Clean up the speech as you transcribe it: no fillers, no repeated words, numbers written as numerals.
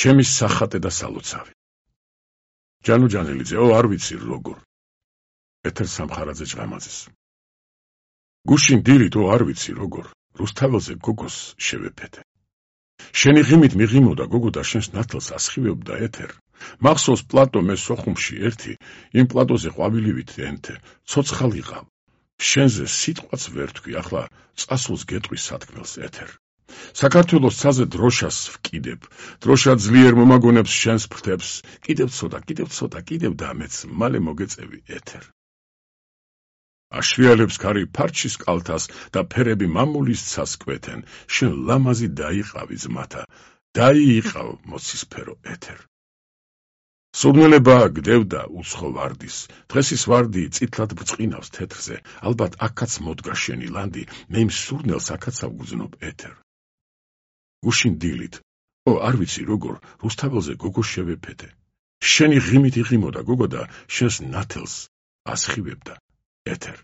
ჩემი სახატე და სალოცავი. ჯანუჯანელიძე, არ ვიცი როგორ. ეთერ სამხარაძე ჭყამაძეს. გუშინ დილით, არ ვიცი როგორ, რუსთაველზე გოგოს შევეფეთე. შენი ღიმით მიღიმოდა გოგო და შენს ნათელს ასხივებდა ეთერ. მახსოვს პლატო მე სოხუმში ერთი, იმ პლატოზე ყვავილივით ენთე, ცოცხალ იყავ. შენზე სიტყვაც ვერ თქვი, ახლა წასულს გეტყვი სათქმელს ეთერ. საქართველოს ცაზე დროშას ვკიდებ, დროშა ძლიერ მომაგონებს შენს ფრთებს, კიდევ ცოტა, კიდევ და მეც მალე მოგეწევი ეთერ. აშრიალებს ქარი ფარჩის კალთას და ფერები მამულის ცას კვეთენ, შენ ლამაზი დაიყავი ძმათა, დაიიყავ მოცისფერო ეთერ. სურნელება გდევდა უცხო ვარდის, დღეს ის ვარდი წითლად ბრწყინავს თეთრზე, ალბათ აქაც მოდგა შენი ლანდი, მე იმ სურნელს აქაც ავგზნობ ეთერ. გუშინ დილით, არ ვიცი როგორ, რუსთაველზე გოგო შევეფეთე. შენი ღიმით იღიმოდა გოგო და შენს ნათელს ასხივებდა ეთერ.